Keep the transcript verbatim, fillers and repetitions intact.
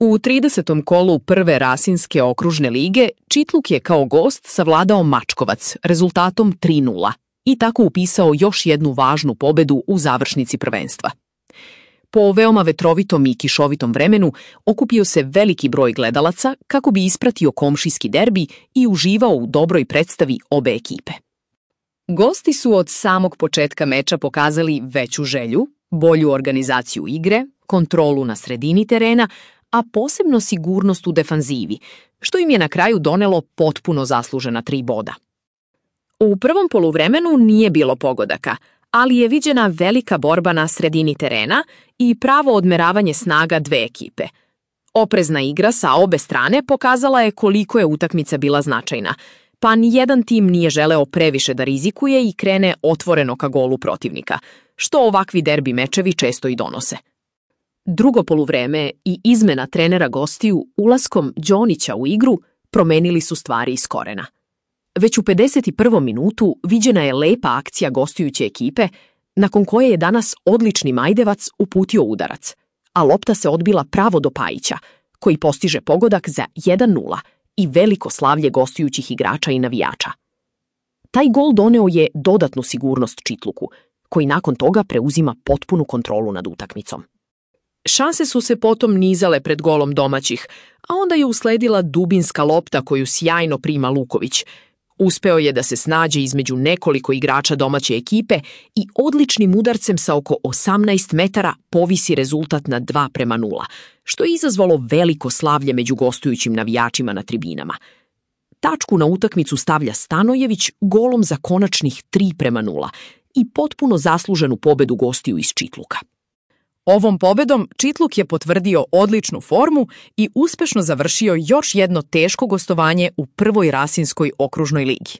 U tridesetom kolu prve Rasinske okružne lige Čitluk je kao gost savladao Mačkovac rezultatom tri nula i tako upisao još jednu važnu pobedu u završnici prvenstva. Po veoma vetrovitom i kišovitom vremenu okupio se veliki broj gledalaca kako bi ispratio komšijski derbi i uživao u dobroj predstavi obe ekipe. Gosti su od samog početka meča pokazali veću želju, bolju organizaciju igre, kontrolu na sredini terena, a posebno sigurnost u defanzivi, što im je na kraju donelo potpuno zaslužena tri boda. U prvom poluvremenu nije bilo pogodaka, ali je viđena velika borba na sredini terena i pravo odmeravanje snaga dve ekipe. Oprezna igra sa obe strane pokazala je koliko je utakmica bila značajna, pa nijedan tim nije želeo previše da rizikuje i krene otvoreno ka golu protivnika, što ovakvi derbi mečevi često i donose. Drugo poluvreme i izmena trenera gostiju ulaskom Đonića u igru promenili su stvari iz korena. Već u pedeset prvom minutu viđena je lepa akcija gostujuće ekipe, nakon koje je danas odlični Majdevac uputio udarac, a lopta se odbila pravo do Pajića, koji postiže pogodak za jedan nula i veliko slavlje gostujućih igrača i navijača. Taj gol doneo je dodatnu sigurnost Čitluku, koji nakon toga preuzima potpunu kontrolu nad utakmicom. Šanse su se potom nizale pred golom domaćih, a onda je usledila dubinska lopta koju sjajno prima Luković. Uspeo je da se snađe između nekoliko igrača domaće ekipe i odličnim udarcem sa oko osamnaest metara povisi rezultat na dva prema nula, što je izazvalo veliko slavlje među gostujućim navijačima na tribinama. Tačku na utakmicu stavlja Stanojević golom za konačnih tri prema nula i potpuno zasluženu pobedu gostiju iz Čitluka. Ovom pobedom Čitluk je potvrdio odličnu formu i uspešno završio još jedno teško gostovanje u prvoj Rasinskoj okružnoj ligi.